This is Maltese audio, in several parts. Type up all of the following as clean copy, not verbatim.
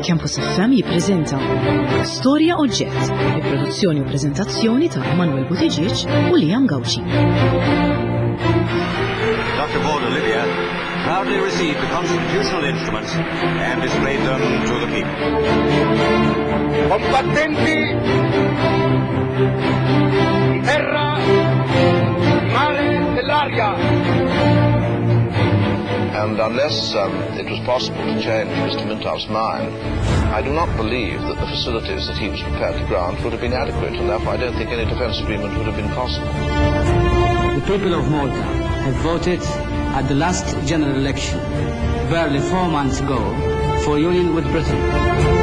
Campus FM jippreżenta Storja Oġġett, bi produzzjoni u preżentazzjoni ta' Emanuel Buttigieg u Liam Gauci. Dr. Paul Olivia proudly received the constitutional instruments and displayed them to the people. Combattenti di terra, di mare e dell'aria. And unless um, it was possible to change Mr. Mintoff's mind, I do not believe that the facilities that he was prepared to grant would have been adequate, and therefore I don't think any defence agreement would have been possible. The people of Malta have voted at the last general election, barely four months ago, for union with Britain.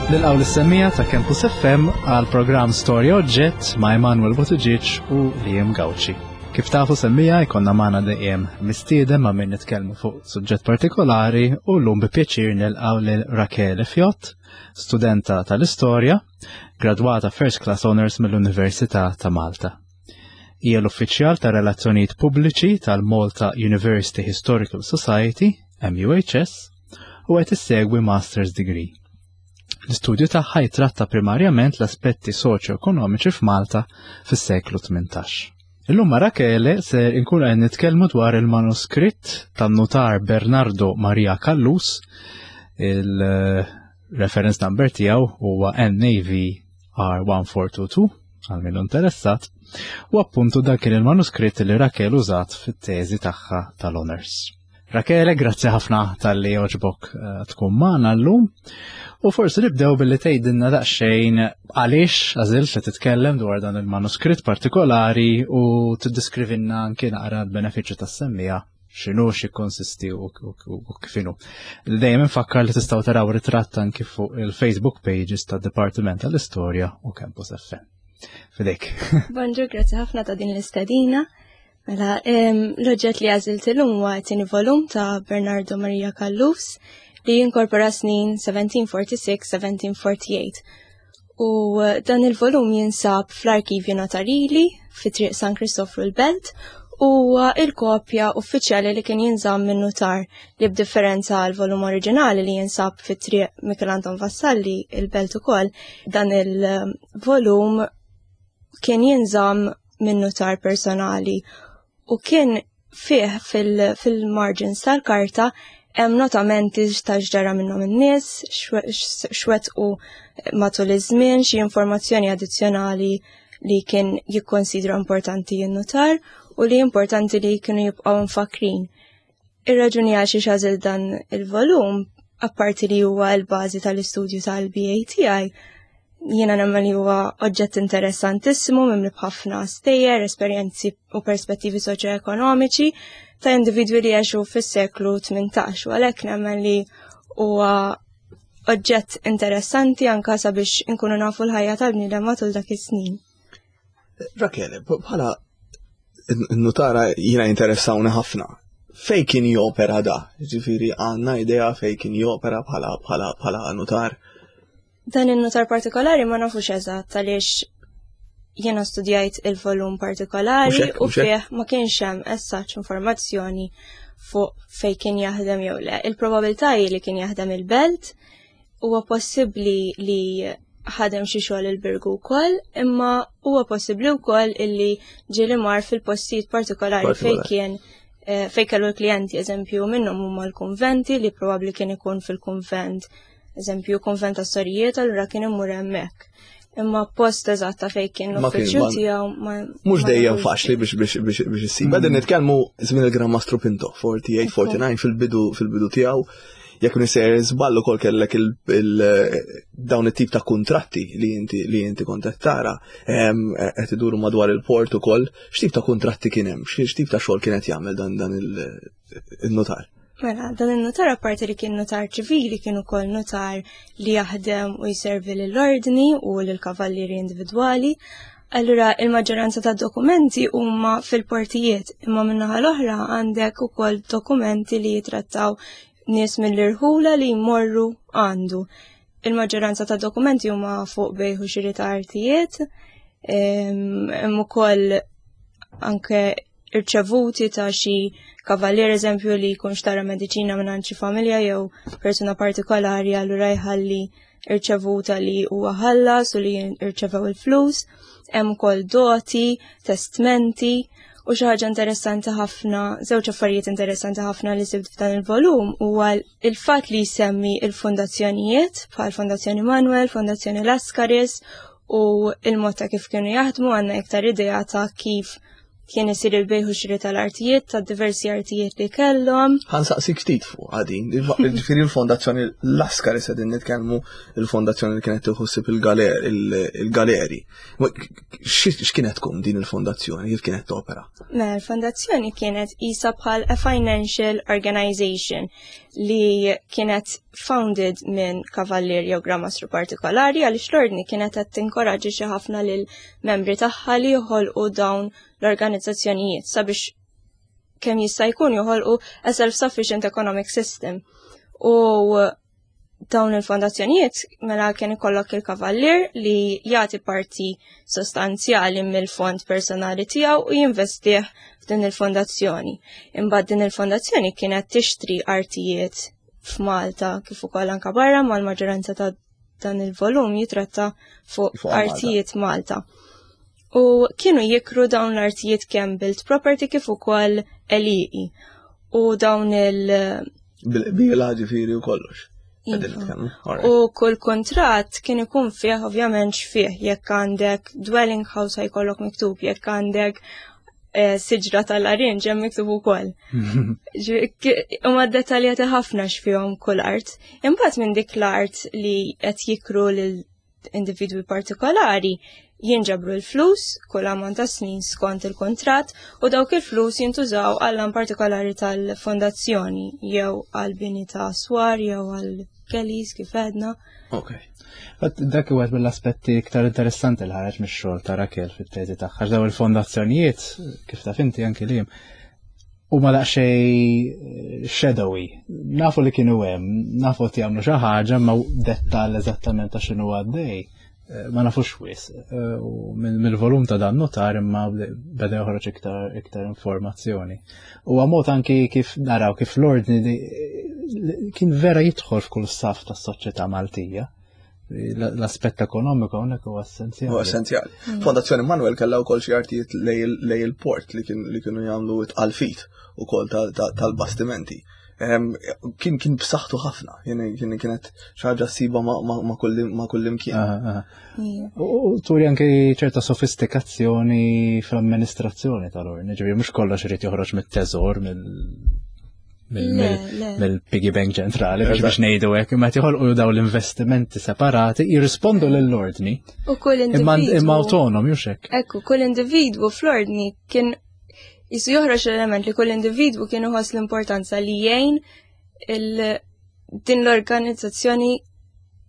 Nilqaw l-semmija ta' Campus FM għal programm Storja Oġġett ma' Emanuel Buttigieg u Liam Gauci. Kif tafu semmija jkollna magħna dejjem mistieden ma' min nitkellmu fuq suġġett partikolari u llum bi pjaċir nilqgħu lil Rachele Fjott, studenta tal-istorja, gradwata First Class Honors mill-Università ta' Malta. Hija l-uffiċjal ta' relazzjonijiet pubbliċi tal-Malta University Historical Society, MUHS, u qed issegwi Master's Degree. L-istudju tagħha jitratta primarjament l-aspetti soċjo-ekonomiċi f'Malta fis-seklu 18. Illum ma' Rachele ser inkun qed nitkellmu dwar il-manuskritt tan-nutar Bernardo Maria Callus, il-reference number tiegħu huwa NAV R1422 għal min interessat, u appuntu dak kien il-manuskritt li Rachele użat fit-teżi tagħha tal-honors. Rachele, grazzi ħafna tal-li oġbok eh, tkun magħna llum. U forsi nibdew billi tgħidilna daqsxejn għaliex għażilt li titkellem dwar dan il-manuskritt partikolari u tiddiskrivilna anki naqra l-benefiċċju tas-semmija x'inhu x'jikkonsisti u kif inhu. Dejjem infakkar li tistgħu taraw ritratt anki fuq il-Facebook pages tad-Dipartiment tal-Istorja u Campus FM. Fidejk. Bonġur, grazzi ħafna ta' din l-istedina. Mela, l-oġġett li għażilt illum huwa t-tieni volum ta' Bernardo Maria Callus li jinkorpora snin 1746-1748. U eh, dan il-volum jinsab fl-Arkivju Notarili fi Triq San Kristofru l-Belt u il-kopja uffiċjali li kien jinżamm minn notar li b'differenza għal volum oriġinali li jinsab fi Triq Michel Anton Vassalli il-Belt ukoll, dan il-volum kien jinżamm minn notar personali u kien fih fil-margins tal-karta hemm notamenti ta' x'ġara minnhom in-nies, x'wettqu matul iż-żmien, xi informazzjoni addizzjonali li kien jikkonsidra importanti jinnotar u li importanti li kienu jibqgħu mfakrin. Ir-raġuni għal xiex għażilt dan il-volum, apparti li huwa l-bażi tal-istudju tal-BA tiegħi, jiena nemmen li huwa oġġett interessantissimu mimli b'ħafna stejjer, esperjenzi u perspettivi soċjoekonomiċi ta' individwi li għexu fis-seklu 18 u għalhekk nemmen li huwa oġġett interessanti anka sabiex inkunu nafu l-ħajja tal-bniedem matul dak is-snin. Rachele, bħala nutara jiena interessawni ħafna. Fej kien jopera da? Ġifieri għandna idea fej kien jopera bħala bħala bħala nutar? Dan in-nutar partikolari ma nafux eżatt għaliex jiena studjajt il-volum partikolari u fih ma kienx hemm essaċ informazzjoni fuq fej kien jaħdem jew le. Il-probabilità hi li kien jaħdem il-belt, huwa possibbli li ħadem xi xogħol il-Birgu wkoll, imma huwa possibbli wkoll illi ġieli mar fil-postijiet partikolari fejn kien eh, fejn kellu l-klijenti, eżempju minnhom huma l-kunventi li probabbli kien ikun fil-kunvent eżempju konvent ta' sorijiet, allura kien imur hemmhekk. Imma post eżatt ta' fejn kien l-uffiċċju tiegħu ma. Mhux dejjem faċli biex biex biex biex issib. Qegħdin mm. nitkellmu żmien il-Gran Mastru Pinto, 48, 49 fil-bidu fil-bidu tiegħu. Jekk nisejjer żball ukoll kellek il dawn it-tip ta' kuntratti li inti li inti kont qed tara qed iduru madwar il-port ukoll. X'tip ta' kuntratti kien hemm? X'tip ta' xogħol kien qed jagħmel dan dan il-notar? Mela, dan il-notar apparti li kien notar ċivili kien ukoll notar li jaħdem u jservi lill-ordni u lill-kavallieri individwali. Allura il-maġġoranza ta' dokumenti huma fil-portijiet, imma min-naħa l-oħra għandek ukoll dokumenti li jitrattaw nies mill-irħula li jmorru għandu. Il-maġġoranza ta' dokumenti huma fuq bejħu xiri ta' artijiet, hemm ukoll anke irċevuti ta' xi kavallier eżempju li jkun xtara mediċina minn xi familja jew persuna partikolari allura jħalli irċevuta li huwa ħallas u li irċevew il-flus, hemm ukoll doti, testmenti u xi ħaġa interessanti ħafna, żewġ affarijiet interessanti ħafna li sibt f'dan il-volum huwa il-fatt li jsemmi il-fondazzjonijiet bħal Fondazzjoni Manuel, Fondazzjoni Lascaris u il-mod ta' kif kienu jaħdmu għandna iktar idea ta' kif kien isir il-bejħu xiri tal-artijiet, ta' diversi artijiet li kellhom. Ħansaqsik ftit fuq għadin, ġifieri l-Fondazzjoni Lascaris qegħdin nitkellmu il-fondazzjoni li kienet tieħu il-galeri. X'kienet tkun din il-fondazzjoni, kif kienet topera? Mela, l-fondazzjoni kienet isa bħal a financial organization li kienet founded minn kavallier jew gramastru partikolari għaliex l-ordni kienet qed tinkoraġġi ħafna lil membri tagħha li joħolqu dawn l-organizzazzjonijiet sabiex kemm jista' jkun joħolqu a self-sufficient economic system. U dawn il-fondazzjonijiet mela kien ikollok il-kavallier li jagħti parti sostanzjali mill-fond personali tiegħu u jinvestih f'din il-fondazzjoni. Imbagħad din il-fondazzjoni kienet tixtri artijiet f'Malta kif ukoll anka barra mal-maġġoranza ta' dan il-volum jitratta fuq artijiet Malta. U kienu jikru dawn l-artijiet kemm built property kif ukoll għelieqi. U dawn il- Bil-qbiela ġifieri u kollox. Iva. U kull kontrat kien ikun fih ovvjament x'fih jekk għandek dwelling house ħajkollok miktub, jekk għandek eh, siġra tal-arinġ hemm miktub ukoll. Huma dettaljati ħafna x'fihom kull art. Imbagħad minn dik l-art li qed jikru lil individwi partikolari jinġabru l-flus kull ammont ta' snin skont il-kontratt u dawk il-flus jintużaw għall partikolari tal-fondazzjoni jew għal bini ta' swar jew għal galleys kif għedna. Ok. Dak huwa mill-aspetti iktar interessanti li ħareġ mix-xogħol ta' Rakel fit-teżi tagħha daw il-fondazzjonijiet kif taf inti anki li huma daqsxejn eh, shadowy. Nafu li kienu hemm, nafu qed jagħmlu xi ħaġa ma dettall eżattament ta' x'inhu għaddej. Eh, ma nafux wis. Eh, u mill-volum ta' dan notar imma beda joħroġ iktar iktar informazzjoni. U għamot anki kif naraw kif l-ordni kien vera jidħol f'kull saf tas-soċjetà Maltija l-aspett ekonomiku hawnhekk huwa essenzjali. Huwa essenzjali. Mm. Fondazzjoni Manuel kellha wkoll xi artijiet lej il-port li kienu jagħmlu tqalfit ukoll tal-bastimenti. Kien kien b'saħħtu ħafna, kien kienet xi ħaġa ssiba ma' kull imkien. U turi anke ċerta sofistikazzjoni fl-amministrazzjoni tal-ordni, ġifieri mhux kollox irid joħroġ mit-teżor mill mill-piggy bank ċentrali biex biex ngħidu hekk, imma joħolqu daw l-investimenti separati jirrispondu lill-ordni. U kull individwu. Imma autonomi u xek. Ekku, kull individwu fl-ordni kien jisu joħroġ l-element li kull individwu kien iħoss l-importanza li jgħin din l-organizzazzjoni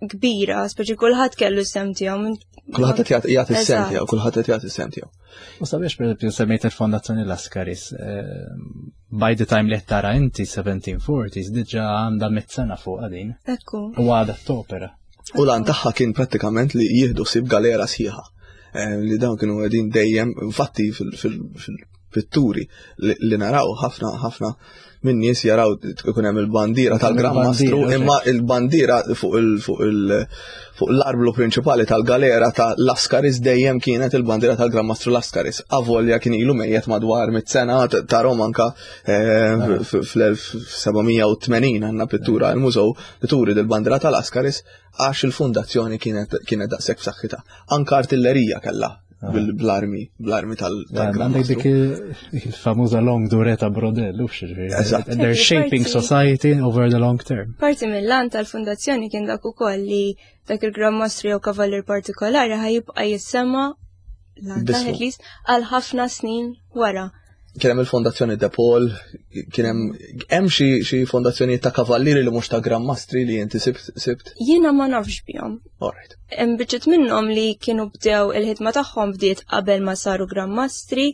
kbira, speċi kulħadd kellu sem tiegħu. Kulħadd qed jagħti s-sem tiegħu, kulħadd qed jagħti s-sem tiegħu. U sabiex pereżempju semmejt il-Fondazzjoni Laskaris, eh, by the time li tara inti 1740s diġà għandha mit sena fuq din. Ekku. U għadha topera. U lan tagħha kien prattikament li jieħdu sib galera sħiħa. Eh, li dawn kienu qegħdin dejjem, infatti fil-pitturi li naraw ħafna ħafna minn nies jaraw ikun hemm il-bandiera tal-Gran Mastru imma il-bandiera fuq il fuq il fuq l-arblu prinċipali tal-galera ta' Laskaris dejjem kienet il-bandiera tal-Gran Mastru Laskaris. Avolja kien ilu mejjet madwar mit sena ta' Romanka eh, fl-1780 għandna pittura l-mużew li turi dil-bandiera ta' Laskaris għax il-fundazzjoni kienet kienet daqshekk b'saħħitha. Anka artillerija kellha ah. bl-armi, bl-armi tal-Gran Għandek dik il-famuża long dureta brodell, u Eżatt. They're shaping society over the long term. Parti mill-lan tal-fundazzjoni kien dak ukoll li dak il-Gran Mastru jew kavallier partikolari ħajibqa' jissema lan għal ħafna snin wara. Kien hemm il-Fondazzjoni De Paul, kien hemm hemm xi xi fondazzjonijiet ta' kavallieri li mhux ta' Gran Mastri li inti sibt sibt. Jiena ma nafx bihom. Alright. Hemm biċċiet minnhom li kienu bdew il-ħidma tagħhom bdiet qabel ma saru Gran Mastri,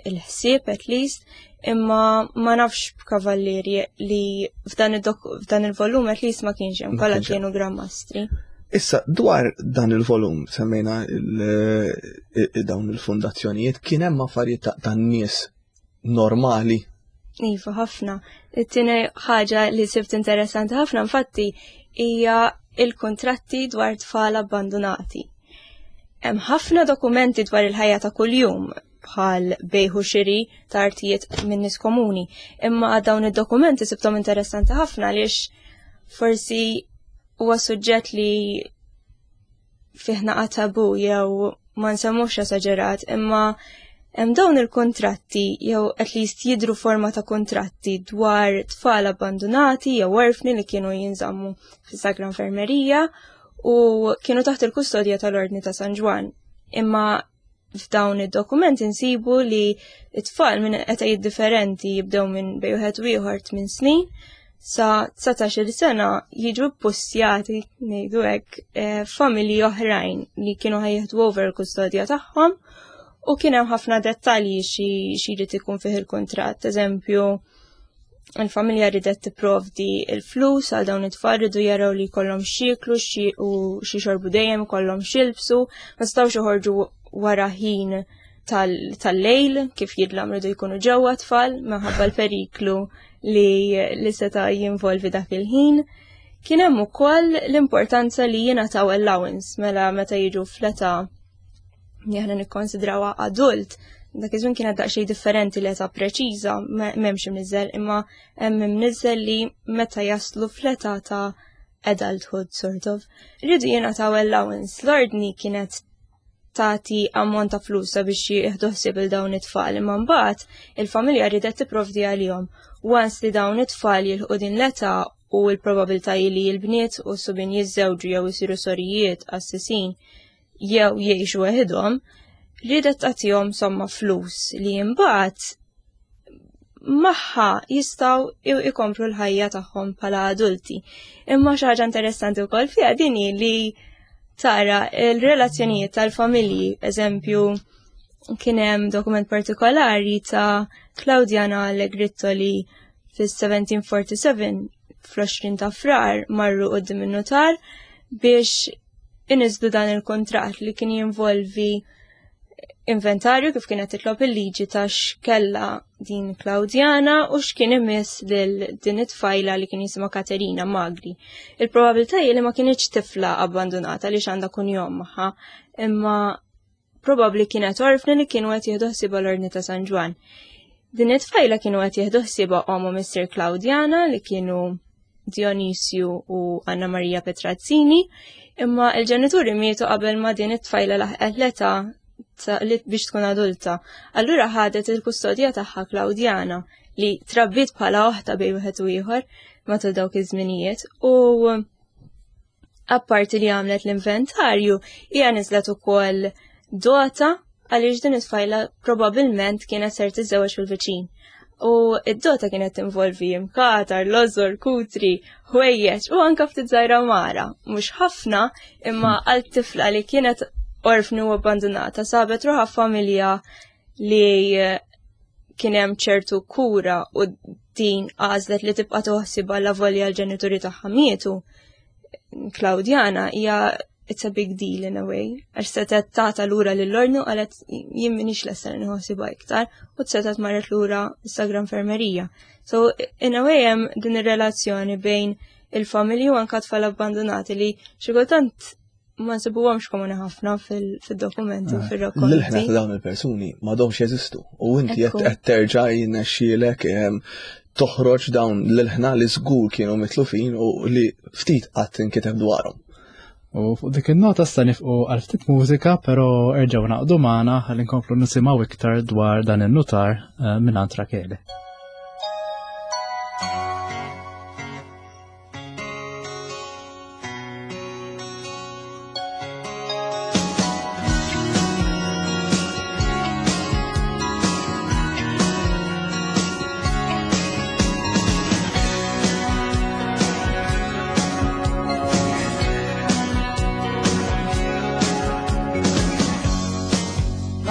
il-ħsieb at least, imma ma nafx b'kavallieri li f'dan f'dan il-volum at least ma kienx hemm kollha kienu Gran Mastri. Issa, dwar dan il-volum, semmejna dawn il-fundazzjonijiet, kien hemm affarijiet ta' nies normali. Iva, ħafna. It-tieni ħaġa li sibt interessanti ħafna infatti hija il-kontratti dwar tfal abbandonati. Hemm ħafna dokumenti dwar il-ħajja ta' kuljum bħal bejħu xiri ta' artijiet minn nies komuni, imma dawn id-dokumenti sibthom interessanti ħafna għaliex forsi huwa suġġett li fih naqa' tabu jew ma nsemmux esaġerat, imma hemm dawn il-kontratti jew at least jidru forma ta' kontratti dwar tfal abbandonati jew orfni li kienu jinżammu fis-Sagra Infermerija u kienu taħt il-kustodja tal-Ordni ta' San Ġwann. Imma f'dawn id-dokumenti nsibu li t-tfal minn etajiet differenti jibdew minn bej wieħed u ieħor 8 snin sa 19-il sena jiġu ppustjati ngħidu hekk eh, familji oħrajn li kienu ħajjeħdu over il-kustodja tagħhom u kien hemm ħafna dettalji xi jrid ikun fih il-kuntratt. Eżempju, il-familja ridet tipprovdi il-flus għal dawn it-tfal ridu jaraw li jkollhom x'jieklu u xi xorbu dejjem ikollhom x'jilbsu, ma setgħux joħorġu wara ħin tal-lejl kif jidlam ridu jkunu ġewwa tfal minħabba l-periklu li li seta' jinvolvi dak il-ħin. Kien hemm ukoll l-importanza li jingħataw allowance mela meta jiġu fl-età li aħna nikkonsidrawha adult, dak iż-żmien kienet daqsxejn differenti l-età preċiża m'hemmx imniżżel, imma hemm imniżżel li meta jaslu fl-età ta' adulthood sort of. Rridu jingħataw allowance. L-ordni kienet tagħti ammont ta' flus sabiex jieħdu ħsieb il dawn it-tfal, imma mbagħad il-familja ridet tipprovdi għalihom. Once li dawn it-tfal jilħqu din l-età u l-probabilità li l-bniet u s-subien jiżżewġu jew isiru sorijiet, qassisin, jew jgħixu weħidhom, riedet tagħtihom somma flus li imbagħad magħha jistgħu ikomplu l-ħajja tagħhom bħala adulti. Imma xi ħaġa interessanti wkoll fiha din hi li tara l-relazzjonijiet tal-familji, eżempju, kien hemm dokument partikolari ta' Claudiana Allegritto li fis-1747 fl-20 ta' Frar marru quddiem in-nutar biex iniżlu dan il-kuntratt li kien jinvolvi inventarju kif kienet titlob il-liġi ta' x'kella din Claudiana u x'kien imiss lil din it-tfajla li kien jisimha Katerina Magri. Il-probabilità hi li ma kinitx tifla abbandunata li x'għandha kunjom magħha, imma Probabbli kienet orfni li kienu qed jieħdu ħsiebha l-Ordni ta' San Ġwann. Din it-tfajla kienu qed jieħdu ħsiebha omm u missier Claudiana li kienu Dionisju u Anna Maria Petrazzini, imma il-ġenituri mietu qabel ma din it-tfajla laħqet l-età biex tkun adulta. Allura ħadet il-kustodja tagħha Claudiana li trabbiet bħala oħta bejn wieħed u ieħor matul dawk iż-żminijiet u Apparti li għamlet l-inventarju, hija niżlet ukoll dota għaliex din it-tfajla probabbilment kienet ser tiżżewweġ fil-viċin. U id-dota kienet tinvolvi imkatar, lożor, kutri, ħwejjeġ u anka ftit żgħira mara. Mhux ħafna, imma għal tifla li kienet orfni u abbandunata sabet ruħha familja li kien hemm ċertu kura u din għażlet li tibqa' toħsibha la volja l-ġenituri tagħha mietu. Claudiana hija it's a big deal in a way, għax setet tata lura lill-ornu qalet jien minix lesta li nħossibha iktar u setet marret lura Instagram infermerija. So in a way hemm din ir-relazzjoni bejn il-familji u anka tfal abbandonati li xi kultant ma nsibuhomx komuni ħafna fil-dokumenti u eh, fil-rakkonti. L-ħna ta' dawn il-persuni m'għadhomx jeżistu u inti qed terġa' jinnexxielek ehm, toħroġ dawn l-ħna li żgur kienu mitlufin u li ftit qatt inkiteb dwarhom. U fuq dik il-nota sta nifqu għal ftit mużika, però erġgħu naqdu magħna ħalli nkomplu nisimgħu iktar dwar dan in-nutar eh, minn Rakele.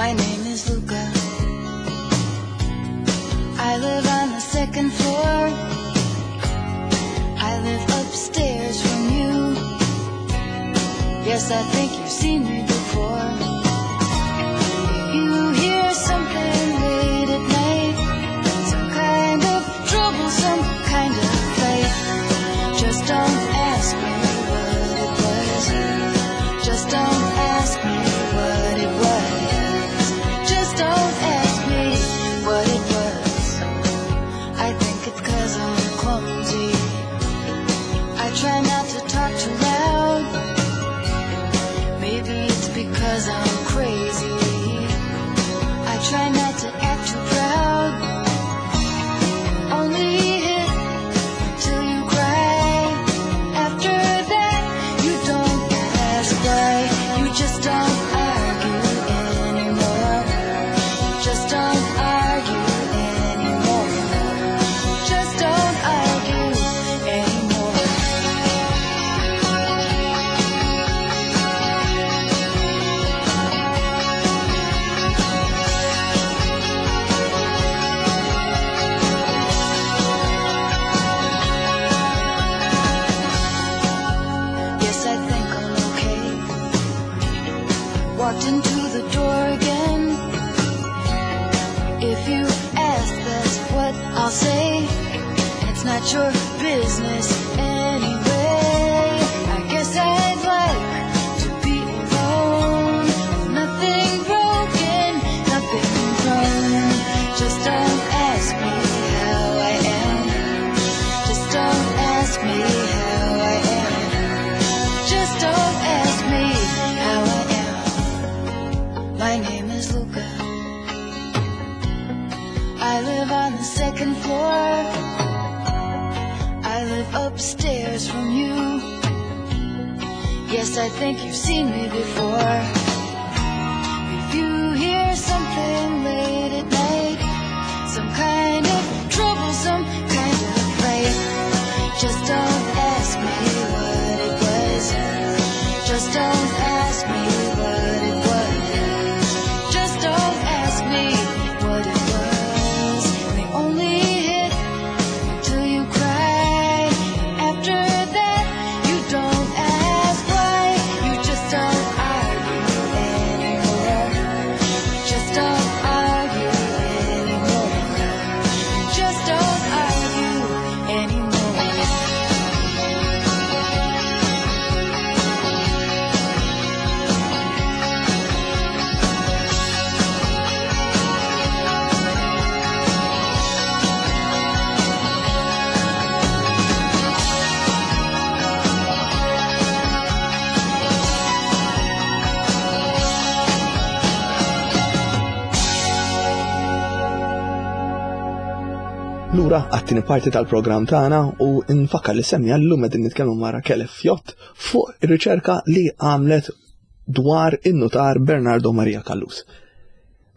My name is Luca. I live on the second floor. I live upstairs from you. Yes, I think you've seen me before. If you hear something late at night, not your business anyway. I guess I'd like to be alone. Nothing broken, nothing thrown. Just don't ask me how I am. Just don't ask me how I am. Just don't ask me how I am. My name is Luca. I live on the second floor. I live upstairs from you. Yes, I think you've seen me before. If you hear something late at night, some kind of trouble, some kind of fight, just don't ask me what it was. Just don't ask me what it was. Just don't ask me what it was. They only hit till you cry. After that, you don't ask why. You just don't argue anymore. You just don't argue anymore. You just don't argue anymore. Lura għat-tieni parti tal-programm tagħna u nfakkar li semmi llum qegħdin nitkellmu ma' Rachele Fiott fuq ir-riċerka li għamlet dwar in-nutar Bernardo Maria Callus.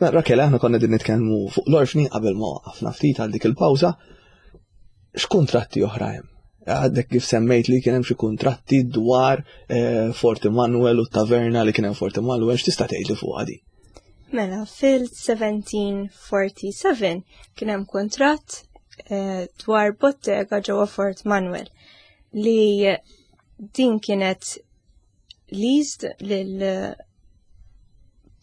Mela, Rachele, aħna konna qegħdin nitkellmu fuq l-orfni qabel ma waqafna ftit għal dik il-pawża. X'kuntratti oħra hemm? Għadek kif semmejt li kien hemm xi kuntratti dwar eh, Fort Emanuel u taverna li kien hemm Fort Emanuel, x'tista' tgħidli fuq di? Mela, fil-1747 kien hemm kuntratt eh, dwar bottega ġewwa Fort Manuel li din kienet leased lil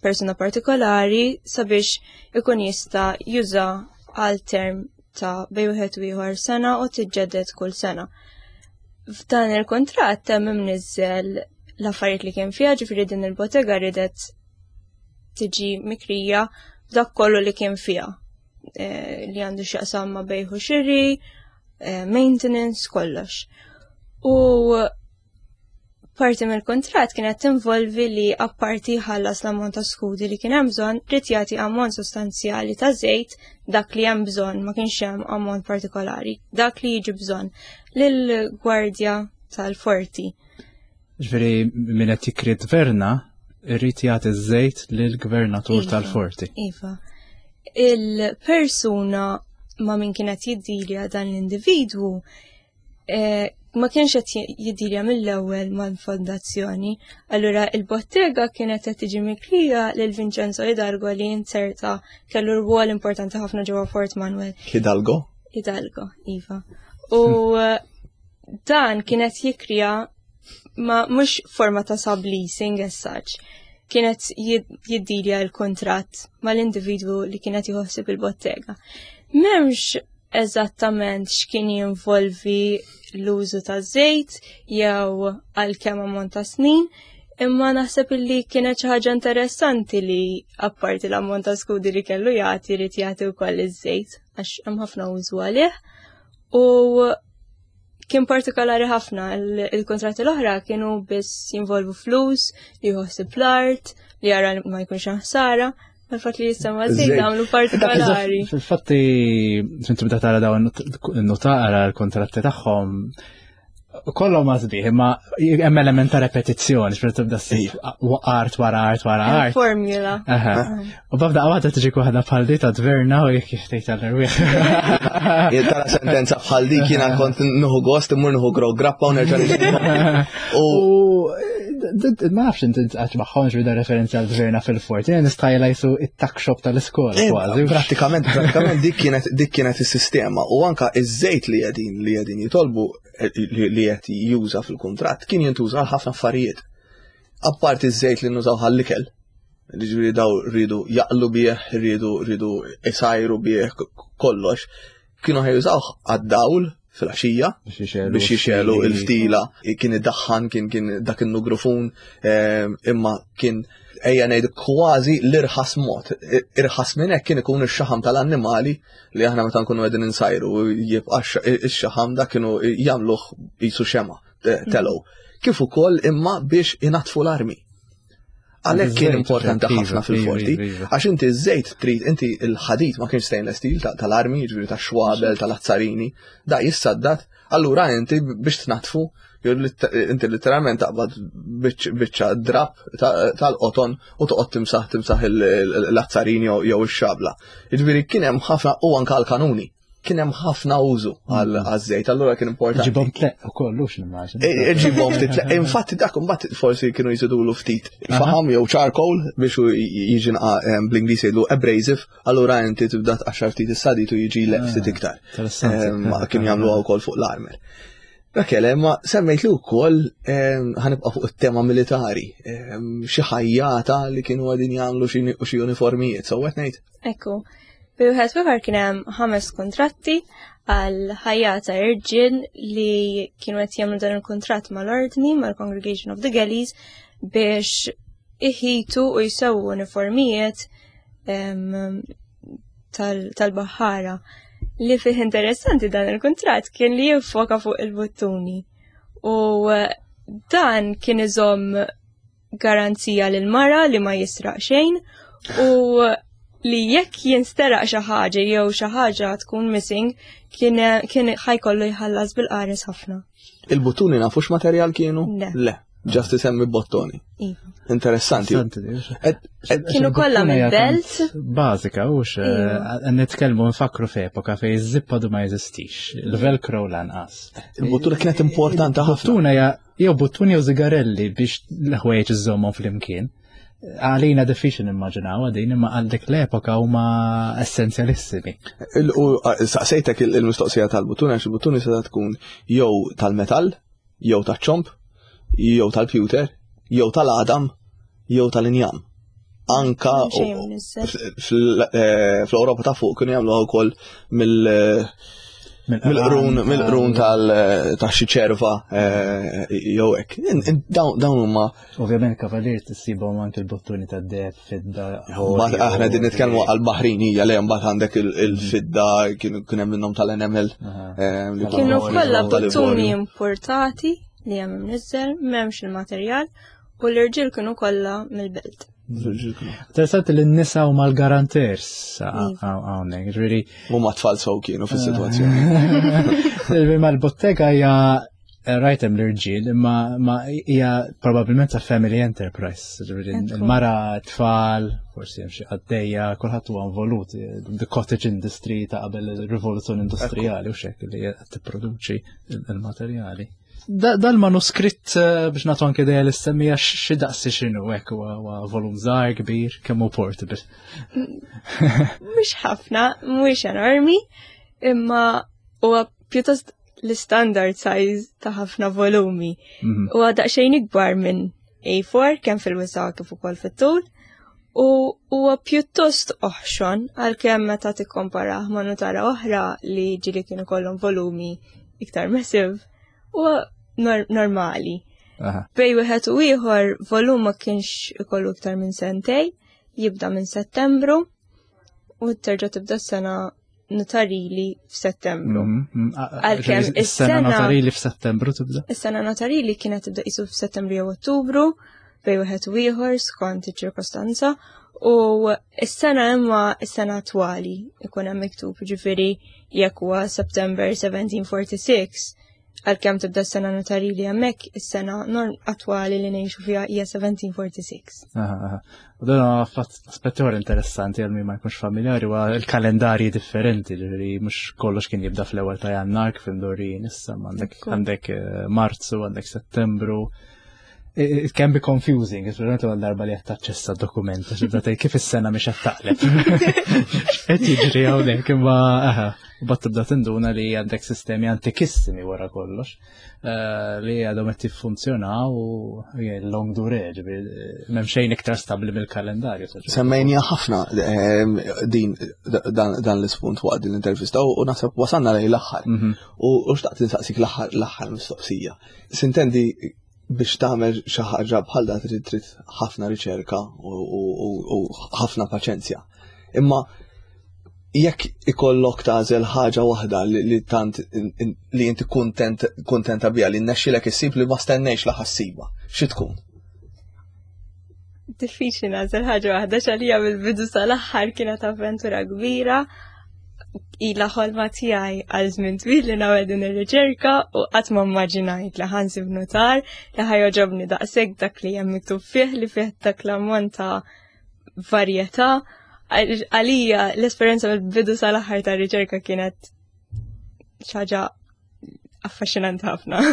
persuna partikolari sabiex ikun jista' juża għal term ta' bej wieħed u ieħor sena u tiġġedded kull sena. F'dan il-kuntratt hemm imniżżel l-affarijiet li kien fiha, ġifieri din il-bottega ridet tiġi mikrija b'dak kollu li kien fiha eh, li għandu x'jaqsam ma' bejħ u xiri, eh, maintenance, kollox. U parti mill-kuntratt kienet tinvolvi li apparti ħallas l-ammont ta' skudi li kien hemm bżonn, ried jagħti ammont sostanzjali ta' żejt dak li hemm bżonn, ma kienx hemm ammont partikolari, dak li jiġi bżonn lill-gwardja tal-forti. Ġifieri min qed jikri tverna irrid jagħti ż-żejt lill-gvernatur Iva, tal-forti. Iva. Il-persuna ma' min kienet jiddilja dan l-individwu eh, ma kienx qed jiddilja mill-ewwel mal-fondazzjoni. Allura il-bottega kienet qed tiġi mikrija lil Vincenzo Hidalgo li inserta kellu rwol importanti ħafna ġewwa Fort Manuel. Hidalgo? Hidalgo, iva. U eh, dan kienet jikrija ma mhux forma ta' subleasing as such. Kienet jiddilja l-kontratt mal-individwu li kienet jħossib il-bottega. M'hemmx eżattament x'kien jinvolvi l-użu ta' żejt jew għal kemm ammont ta' snin, imma naħseb illi kienet xi ħaġa interessanti li apparti l-ammont ta' skudi li kellu jagħti jrid jagħti wkoll iż-żejt għax hemm ħafna użu għalih. U kien partikolari ħafna, il-kontratti l-oħra kienu biss jinvolvu flus, li jħossib l-art, li jara li ma jkunx hemm ħsara, għal-fatt li jisema żejt għamlu partikolari. Fil-fatti, inti bda tara dawn notara l-kontratti tagħhom, kollhom ma sbieħ, imma hemm element ta' repetizzjoni, x'meta tibda ssib art wara art wara art. Formula. Aha. U babda waħda tiġi waħda bħal di ta' tverna u jekk jiftejt għall-erwieħ. Jien tara sentenza bħal dik jiena kont nuħu gost immur nuħu grog grappa u nerġa' nixtri. U ma nafx inti għax magħhom xbida referenza għal tverna fil-fort, jien nistajla jisu it-tuck shop tal-iskola Eh, kważi. Prattikament, prattikament dik kienet dik kienet is-sistema u anka iż-żejt li qegħdin li qegħdin jitolbu eh, li li qed juża fil-kuntratt kien jintuża għal ħafna affarijiet. Apparti iż-żejt li nużaw ħall-ikel, ġifieri daw rridu jaqlu bih, rridu rridu isajru bih kollox, kienu ħajużawh għad-dawl fil-għaxija biex jixelu il-ftila kien iddaħħan kien kien dak in-nugrufun ehm, imma kien ejja ngħid kważi l-irħas mod. Irħas minn hekk kien ikun ix-xaħam tal-annimali li aħna meta nkunu qegħdin insajru jibqa' ix-xaħam dak kienu jagħmluh qisu xema telgħu. Kif ukoll imma biex inatfu l-armi. Għalhekk kien importanti ħafna fil-forti, għax inti ż-żejt trid inti l-ħadid ma kienx stainless steel tal-armi, jiġifieri tax-xwabel, tal-azzarini, da jissaddat, allura inti biex tnatfu, inti literalment taqbad biċċa drab tal-qoton u toqgħod timsaħ timsaħ l-azzarini jew ix-xabla. Jiġifieri kien hemm ħafna u anke l-kanuni kien hemm ħafna użu mm. għaż-żejt, allura kien importanti. Ġibhom tleq ukoll hux nimmaġina. E, e, ġibhom ftit tleq. Infatti dak imbagħad forsi kienu jżidulu ftit faħam jew charcoal biex jiġi bl-Ingliż jgħidu abrasive, allura inti tibda tqaxxar ftit is-sadit u jiġi leq ftit ah, iktar. Kienu jagħmluha wkoll fuq l-armer. Rakele, ma semmejt li wkoll ħanibqa' fuq it-tema militari, xi ħajjata li kienu għadin jagħmlu xi uniformijiet, so qed ngħid? Ekku. Bi wieħed ieħor kien hemm ħames kuntratti għal ħajjata irġiel li kienu qed jagħmlu dan il-kuntratt mal-ordni mal-Congregation of the Galleys biex iħitu u jsewwu uniformijiet tal-baħħara. Li fih interessanti dan il-kuntratt kien li jiffoka fuq il-buttuni. U eh, dan kien iżomm garanzija lil mara li ma jisraq xejn u li jekk jinsteraq xi ħaġa jew xi ħaġa tkun missing kien kien ħajkollu jħallas bil-qares ħafna. Il-buttuni nafux materjal kienu? Le. Le, ġast isemmi bottoni. Iva. Interessanti. Kienu kollha mill-belt. Bażika, hux Iva. eh, nitkellmu nfakru f'epoka fejn iż-zippa du ma jeżistix, il-velcro lanqas. Il-buttuna kienet importanti ħafna. Buttuna hija jew buttuni jew zigarelli biex l-ħwejjeġ iżommhom flimkien. Għalina diffiċli nimmaġinaw din imma għal dik l-epoka huma essenzjalissimi. Saqsejtek il-mistoqsija tal-buttuni għax il-buttuni se tkun jew tal-metall, jew taċ-ċomp, jew tal-pewter, jew tal-għadam, jew tal-injam. Anka eh, fl-Ewropa ta' fuq kienu jagħmluha wkoll mill- mill-qrun mill-qrun tal ta' xi ċerva eh, jew hekk. Dawn huma Ovvjament kavalier tissibhom anke l-bottuni tad-deheb fidda. Aħna din nitkellmu għal baħrin hija li mbagħad għandek il-fidda kien hemm minnhom tal-enamel. Eh, kienu kollha bottuni importati li hemm imniżżel, m'hemmx il-materjal u l-irġiel kienu kollha mill-belt. Interessanti li n-nisa huma l-garanters hawnhekk, ġifieri. Huma tfal sew kienu fis-sitwazzjoni. Ma l-bottega hija eh, rajt hemm l-irġiel, imma hija probabbilment ta' family enterprise, ġifieri il-mara, tfal, forsi hemm xi qaddejja, kulħadd huwa involut, the cottage industry ta' qabel il-rivoluzzjoni industrijali u xek li qed tipproduċi il-materjali. Dal-manuskritt eh, biex nagħtu anke idea li semmija xi daqsi x'inhu hekk huwa volum żgħar kbir kemm hu portable. Mhux ħafna, mhuwiex enormi, imma huwa pjuttost l-standard size ta' ħafna volumi. Mhm. Huwa daqsxejn ikbar minn A4 kemm fil-wisa kif ukoll fit-tul u huwa pjuttost oħxon għalkemm meta tikkomparah ma' nutara oħra li ġili kienu kollhom volumi iktar massive huwa normali. Bej wieħed u ieħor volum ma kienx ikollu iktar minn sentej, jibda minn Settembru u terġa' tibda s-sena notarili f'Settembru. Mhm, mhm. Għalkemm is-sena notarili f'Settembru tibda? Is-sena notarili kienet tibda qisu f'Settembru jew Ottubru bej wieħed u ieħor skont iċ-ċirkostanza u s-sena imma s-sena attwali ikun hemm miktub ġifieri jekk huwa September 1746 għalkemm tibda s-sena notarili hemmhekk is-sena attwali li ngħixu fiha hija 1746. U dan aspett ieħor interessanti għal min ma jkunx familjari huwa l-kalendarji differenti, ġifieri mhux kollox kien jibda fl-ewwel ta' Jannar kif imdorrijin issa, għandek għandek eh, Marzu, għandek Settembru. It can be confusing, speċjalment l darba li qed taċċessa dokument, għax tibda tgħid kif is-sena mhix qed taqleb. Qed jiġri hawnhekk imma aha, u bat tibda tinduna li għandek sistemi antikissimi wara kollox eh, li għadhom qed jiffunzjonaw u long dure, ġifieri m'hemm xejn iktar stabbli mill-kalendarju. Semmejnija ħafna ehm, din dan l-ispunt waqt din l-intervista u naħseb wasalna lejn l-aħħar. Mhm. U xtaqt insaqsik l-aħħar mistoqsija. Sintendi biex tagħmel xi ħaġa bħal da trid trid ħafna riċerka u ħafna paċenzja. Imma jekk ikollok tagħżel ħaġa waħda li tant li inti kuntent kuntenta biha li nnexxilek issib li ma stennejx la ħassiba, xi tkun? Diffiċli nagħżel ħaġa waħda x'għalija mill-bidu sal-aħħar kienet avventura kbira ila ħolma tiegħi għal żmien twil li nagħmel din ir-riċerka u qatt ma mmaġinajt li ħansib notar li ħajoġobni daqshekk dak li hemm miktub fih li fih dak l-ammont ta' varjetà. Għalija l-esperjenza mill-bidu sal-aħħar tar-riċerka kienet xi ħaġa affaxxinanti ħafna.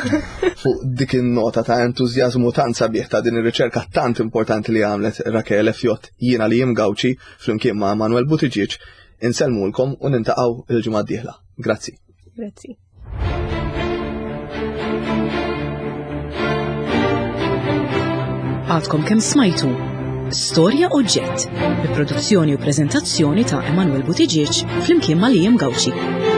Fuq dik in-nota ta' entużjażmu tant sabiħ ta' din ir-riċerka tant importanti li għamlet Rachele Fjott jiena li jim Gawċi flimkien ma' Manuel Buttigieg insellmulkom u nintaqgħu il-ġimgħa d-dieħla. Grazzi. Grazzi. Għadkom kemm smajtu Storja Oġġett, bi produzzjoni u preżentazzjoni ta' Emanuel Buttigieg flimkien ma' Liam Gauci.